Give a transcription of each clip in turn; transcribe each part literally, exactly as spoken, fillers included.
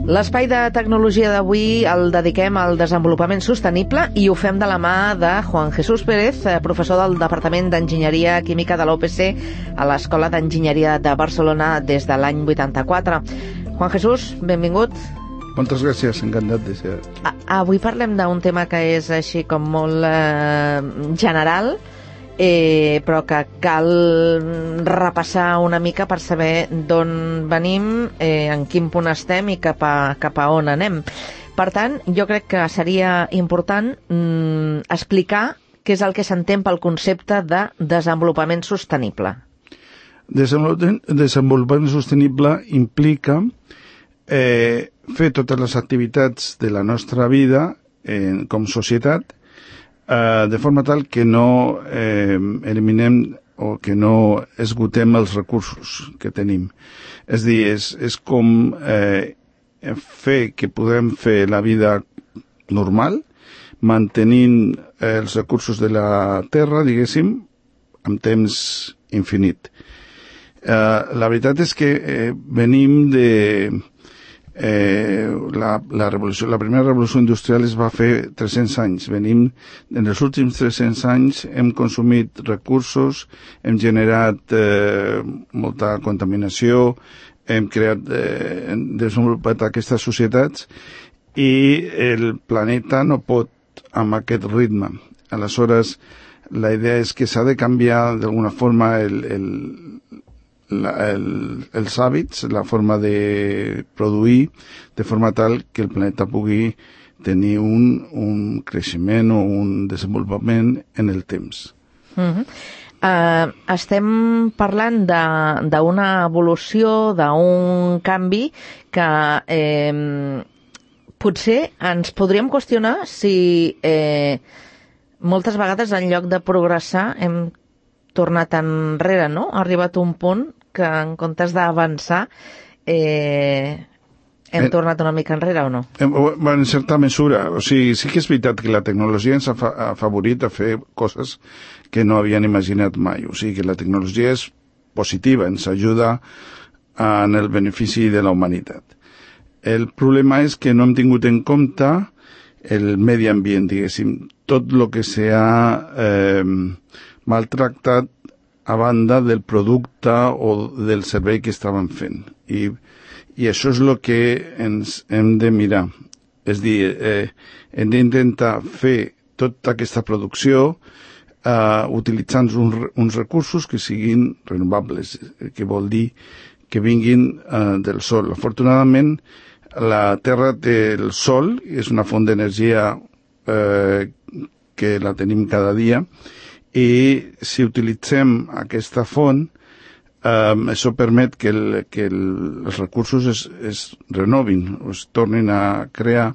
L'espai de tecnologia d'avui el dediquem al desenvolupament sostenible i ho fem de la mà de Juan Jesús Pérez, professor del Departament d'Enginyeria Química de l'U P C a l'Escola d'Enginyeria de Barcelona des de l'any vuitanta-quatre. Juan Jesús, benvingut. Moltes gràcies, encantat de ser. Avui parlem d'un tema que és així com molt eh, general, Eh, però que cal repassar una mica per saber d'on venim, eh, en quin punt estem i cap a, cap a on anem. Per tant, jo crec que seria important mm, explicar què és el que s'entén pel concepte de desenvolupament sostenible. Desenvolupament, desenvolupament sostenible implica eh, fer totes les activitats de la nostra vida eh, com societat Uh, de forma tal que no eh, eliminem o que no esgotem els recursos que tenim. És dir, és, és com eh, fer que podem fer la vida normal, mantenint eh, els recursos de la terra, diguéssim, amb temps infinit. Uh, la veritat és que eh, venim de... Eh, la, la, revolució, la primera revolució industrial es va fer tres-cents anys. Venim, en els últims tres-cents anys hem consumit recursos, hem generat eh, molta contaminació, hem creat, eh, hem desenvolupat aquestes societats i el planeta no pot amb aquest ritme. Aleshores, la idea és que s'ha de canviar d'alguna forma el, el La, el, els hàbits, la forma de produir, de forma tal que el planeta pugui tenir un, un creixement o un desenvolupament en el temps. Uh-huh. Uh, estem parlant d'una evolució, d'un canvi que eh, potser ens podríem qüestionar si eh, moltes vegades en lloc de progressar hem tornat enrere, no? Ha arribat un punt que en comptes d'avançar eh, hem eh, tornat una mica enrere o no? En certa mesura. O sigui, sí que és veritat que la tecnologia ens ha afavorit a fer coses que no havien imaginat mai. O sigui, que la tecnologia és positiva, ens ajuda en el benefici de la humanitat. El problema és que no hem tingut en compte el medi ambient, diguéssim, tot el que s'ha eh, maltractat a banda del producte o del servei que estàvem fent. I, i això és el que ens hem de mirar. És dir, eh, hem d'intentar fer tota aquesta producció eh, utilitzant uns, uns recursos que siguin renovables, que vol dir que vinguin eh, del sol. Afortunadament, la Terra té el sol, és una font d'energia eh, que la tenim cada dia, i si utilitzem aquesta font, eh, això permet que, el, que el, els recursos es, es renovin, es tornin a crear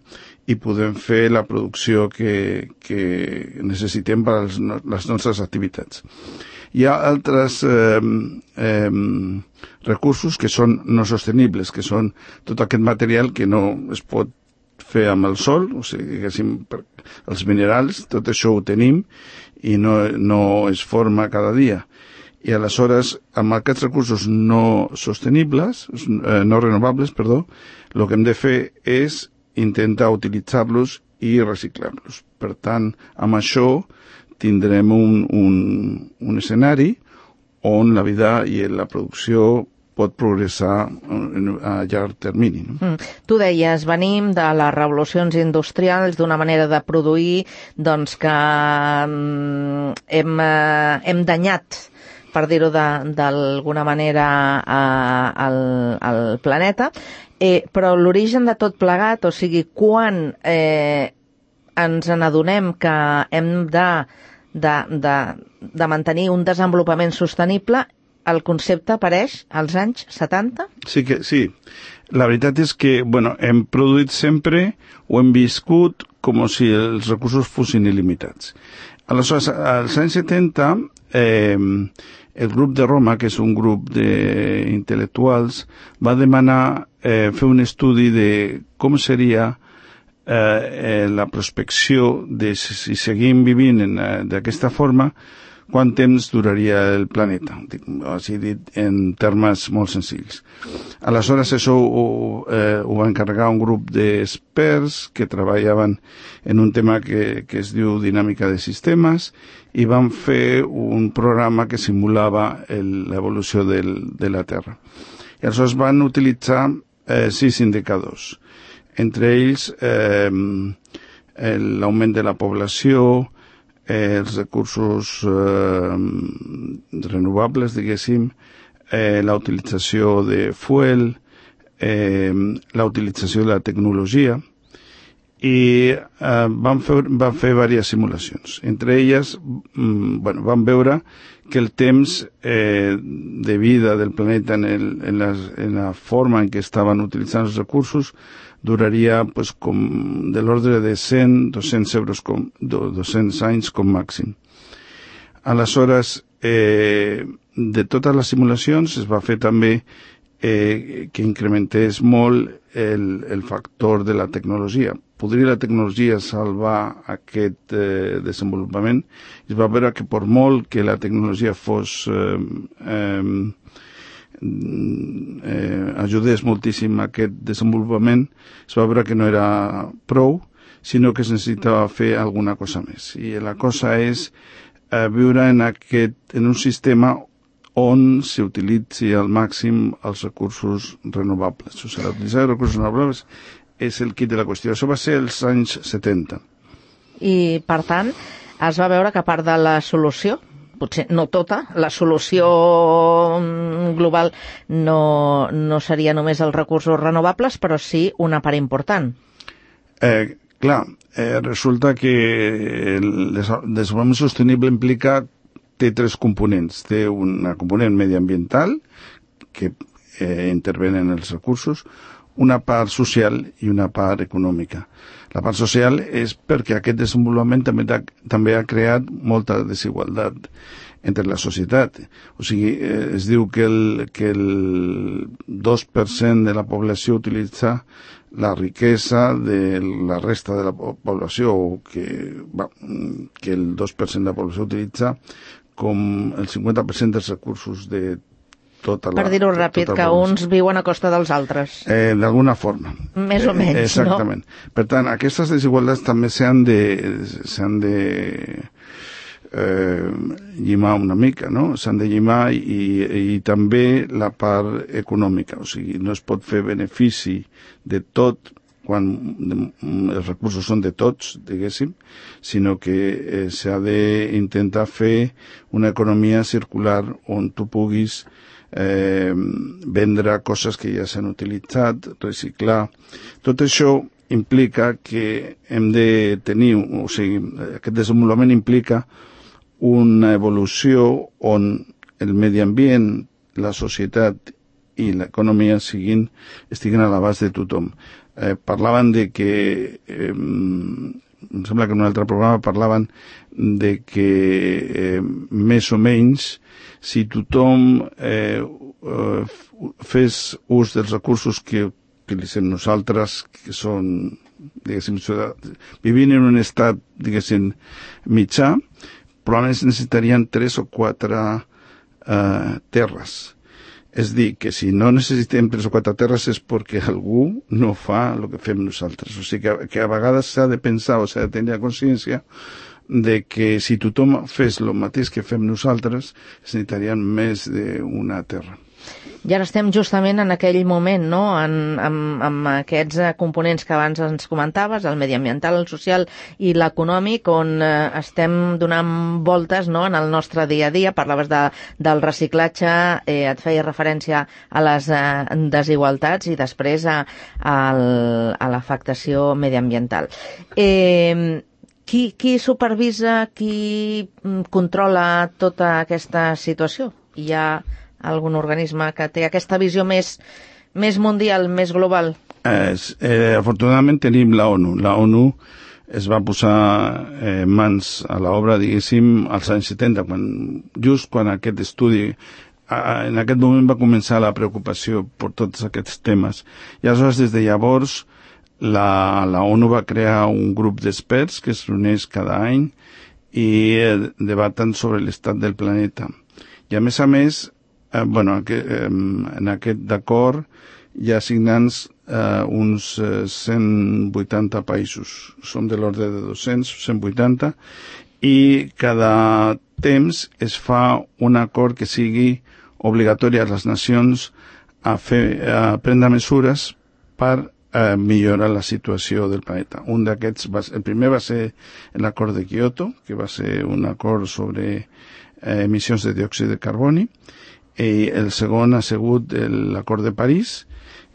i podem fer la producció que, que necessitem per als, les nostres activitats. Hi ha altres eh, eh, recursos que són no sostenibles, que són tot aquest material que no es pot fer amb el sol, o sigui, diguéssim, els minerals, tot això ho tenim i no, no es forma cada dia. I aleshores, amb aquests recursos no sostenibles, eh, no renovables, perdó, el que hem de fer és intentar utilitzar-los i reciclar-los. Per tant, amb això tindrem un, un, un escenari on la vida i la producció pot progressar a llarg termini. No? Mm. Tu deies, venim de les revolucions industrials, d'una manera de produir doncs que mm, hem, eh, hem danyat, per dir-ho d'alguna manera, eh, el, el planeta, eh, però l'origen de tot plegat, o sigui, quan eh, ens n'adonem que hem de, de, de, de mantenir un desenvolupament sostenible, el concepte apareix als anys setanta? Sí, que, sí. La veritat és que, bueno, hem produït sempre o hem viscut com si els recursos fossin il·limitats. Aleshores, als anys setanta, eh, el grup de Roma, que és un grup d'intel·lectuals, va demanar eh, fer un estudi de com seria eh, eh, la prospecció de si seguim vivint d'aquesta forma, quant temps duraria el planeta, així dit en termes molt senzills. Aleshores, això ho, eh, ho va encarregar un grup d'experts que treballaven en un tema que, que es diu dinàmica de sistemes i van fer un programa que simulava l'evolució de la Terra. I aleshores van utilitzar eh, sis indicadors, entre ells eh, l'augment de la població, eh, els recursos eh, renovables, diguéssim, eh, la utilització de fuel, eh, la utilització de la tecnologia, i eh, van fer, van fer diverses simulacions. Entre elles, mm, bueno, van veure que el temps eh, de vida del planeta en, el, en, la, en la forma en què estaven utilitzant els recursos duraria pues, com de l'ordre de cent a dos-cents euros com, dos-cents anys com màxim. Aleshores, eh, de totes les simulacions es va fer també eh, que incrementés molt el, el factor de la tecnologia. Podria la tecnologia salvar aquest eh, desenvolupament? Es va veure que per molt que la tecnologia fos eh, eh, eh, ajudés moltíssim a aquest desenvolupament, es va veure que no era prou, sinó que es necessitava fer alguna cosa més. I la cosa és eh, viure en, aquest, en un sistema on s'utilitzi al màxim els recursos renovables. O sigui, utilitzar els recursos renovables és el kit de la qüestió. Això va ser els anys setanta. I, per tant, es va veure que a part de la solució, potser no tota, la solució global no, no seria només els recursos renovables, però sí una part important. Eh, clar, eh, resulta que el desenvolupament sostenible implica, té tres components. Té una component mediambiental, que eh, intervenen en els recursos, una part social i una part econòmica. La part social és perquè aquest desenvolupament també, també ha creat molta desigualtat entre la societat. O sigui, eh, es diu que el, que el dos per cent de la població utilitza la riquesa de la resta de la població, o que, va, que el dos per cent de la població utilitza com el cinquanta per cent dels recursos de tota la... Per dir-ho ràpid, tota que uns viuen a costa dels altres. Eh, D'alguna forma. Més o menys, eh, exactament. No? Per tant, aquestes desigualtats també s'han de, s'han de eh, llimar una mica, no? S'han de llimar i, i també la part econòmica. O sigui, no es pot fer benefici de tot quan els recursos són de tots, diguéssim, sinó que eh, s'ha d'intentar fer una economia circular on tu puguis eh, vendre coses que ja s'han utilitzat, reciclar. Tot això implica que hem de tenir, o sigui, aquest desenvolupament implica una evolució on el medi ambient, la societat i l'economia siguin, estiguin a l'abast de tothom. Eh, parlaven de que, eh, em sembla que en un altre programa parlaven de que eh, més o menys si tothom eh, eh, fes ús dels recursos que utilitzem nosaltres, que són, diguéssim, vivint en un estat, diguéssim, mitjà, probablement necessitarien tres o quatre eh, terres. És dir, que si no necessitem tres o quatre terres és perquè algú no fa el que fem nosaltres. O sigui que, que a vegades s'ha de pensar o s'ha de tenir consciència de que si tothom fes el mateix que fem nosaltres, necessitarien més d'una terra. I ara estem justament en aquell moment, no?, en, amb, amb aquests components que abans ens comentaves, el mediambiental, el social i l'econòmic, on eh, estem donant voltes, no?, en el nostre dia a dia. Parlaves de, del reciclatge, eh, et feia referència a les eh, desigualtats i després a, a, a l'afectació mediambiental. Eh, qui, qui supervisa, qui controla tota aquesta situació? Hi ha algun organisme que té aquesta visió més, més mundial, més global? Eh, eh, afortunadament tenim la ONU. La ONU es va posar eh, mans a l'obra, diguéssim, als anys setanta, quan, just quan aquest estudi, a, en aquest moment va començar la preocupació per tots aquests temes. I aleshores, des de llavors, la, la ONU va crear un grup d'experts que es reuneix cada any i eh, debaten sobre l'estat del planeta. I a més a més, eh, bueno, que, eh, en aquest acord hi ha signants eh, uns eh, cent vuitanta països. Som de l'ordre de dos-cents, cent vuitanta, i cada temps es fa un acord que sigui obligatori a les nacions a, fer, a prendre mesures per eh, millorar la situació del planeta. Un d'aquests, va, el primer va ser l'acord de Kyoto, que va ser un acord sobre eh, emissions de diòxid de carboni, i el segon ha sigut l'acord de París,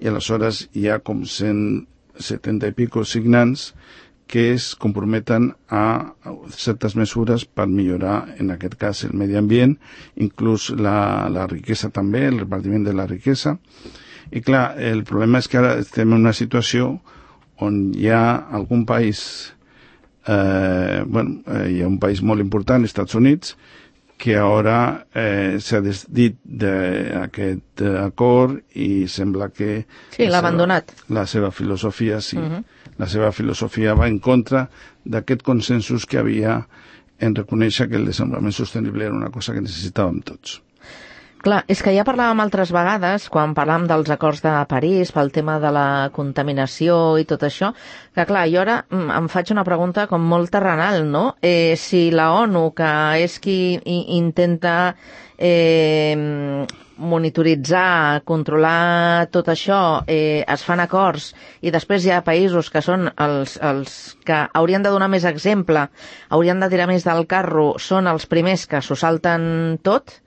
i aleshores hi ha com cent setanta i pico signants que es comprometen a certes mesures per millorar, en aquest cas, el medi ambient, inclús la, la riquesa també, el repartiment de la riquesa. I clar, el problema és que ara estem en una situació on hi ha algun país, eh, bueno, eh, hi ha un país molt important, els Estats Units, que ara eh, s'ha desdit d'aquest eh, acord i sembla que... Sí, l'ha abandonat. La seva filosofia, sí. Uh-huh. La seva filosofia va en contra d'aquest consensus que havia en reconèixer que el desenvolupament sostenible era una cosa que necessitàvem tots. Clar, és que ja parlàvem altres vegades, quan parlàvem dels acords de París, pel tema de la contaminació i tot això, que clar, jo ara em faig una pregunta com molt terrenal, no? Eh, si la ONU, que és qui intenta eh, monitoritzar, controlar tot això, eh, es fan acords i després hi ha països que són els, els que haurien de donar més exemple, haurien de tirar més del carro, són els primers que s'ho salten tot.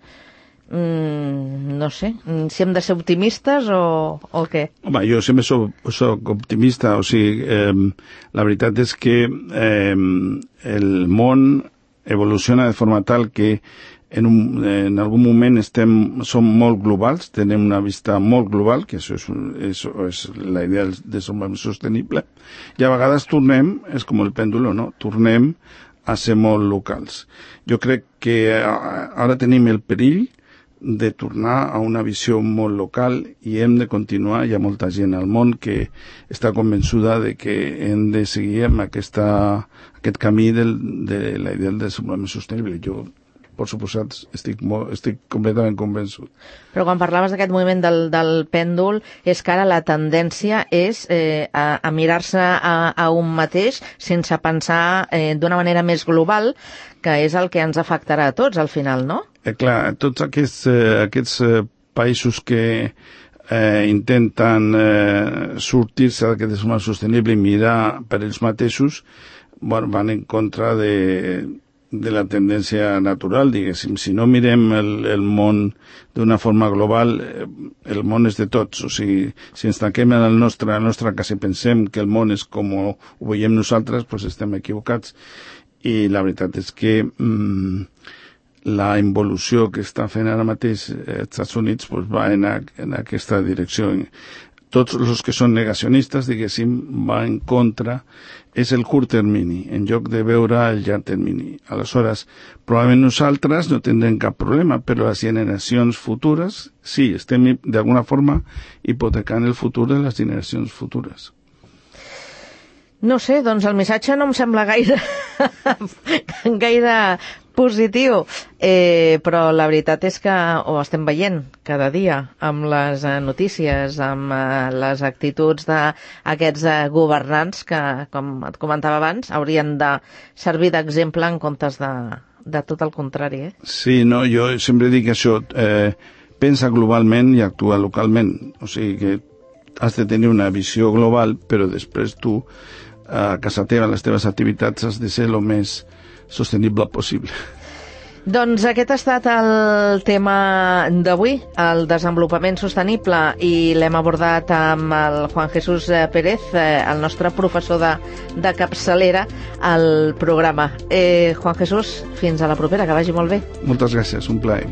Mm, no sé, si hem de ser optimistes o, o què? Home, jo sempre soc, soc optimista, o sigui, eh, la veritat és que eh, el món evoluciona de forma tal que en, un, en algun moment estem, som molt globals, tenim una vista molt global, que això és, és, és la idea del desenvolupament sostenible, i a vegades tornem, és com el pèndulo, no? Tornem a ser molt locals. Jo crec que ara tenim el perill de tornar a una visió molt local i hem de continuar. Hi ha molta gent al món que està convençuda de que hem de seguir amb aquesta, aquest camí del, de la idea del desenvolupament sostenible. Jo, per suposat, estic, molt, estic completament convençut. Però quan parlaves d'aquest moviment del, del pèndol, és que ara la tendència és eh, a, a mirar-se a, a un mateix sense pensar eh, d'una manera més global, que és el que ens afectarà a tots al final, no? Eh, clar, tots aquests, eh, aquests eh, països que eh, intenten eh, sortir-se d'aquest desenvolupament sostenible i mirar per ells mateixos, bueno, van en contra de, de la tendència natural, diguéssim. Si no mirem el, el món d'una forma global, eh, el món és de tots. O sigui, si ens tanquem en el nostre, la nostra casa i pensem que el món és com ho veiem nosaltres, doncs estem equivocats. I la veritat és que mm, la involució que està fent ara mateix els Estats Units pues, va en, a, en aquesta direcció. Tots els que són negacionistes, diguéssim, va en contra, és el curt termini, en lloc de veure el llarg termini. Aleshores, probablement nosaltres no tindrem cap problema, però les generacions futures, sí, estem d'alguna forma hipotecant el futur de les generacions futures. No sé, doncs el missatge no em sembla gaire, gaire positiu, eh, però la veritat és que ho estem veient cada dia amb les eh, notícies, amb eh, les actituds d'aquests eh, governants que, com et comentava abans, haurien de servir d'exemple en comptes de, de tot el contrari. Eh? Sí, no, jo sempre dic això, eh, pensa globalment i actua localment, o sigui que has de tenir una visió global, però després tu a casa teva, les teves activitats, has de ser el més sostenible possible. Doncs aquest ha estat el tema d'avui, el desenvolupament sostenible, i l'hem abordat amb el Juan Jesús Pérez, el nostre professor de, de capçalera al programa. Eh, Juan Jesús, fins a la propera, que vagi molt bé. Moltes gràcies, un plaer.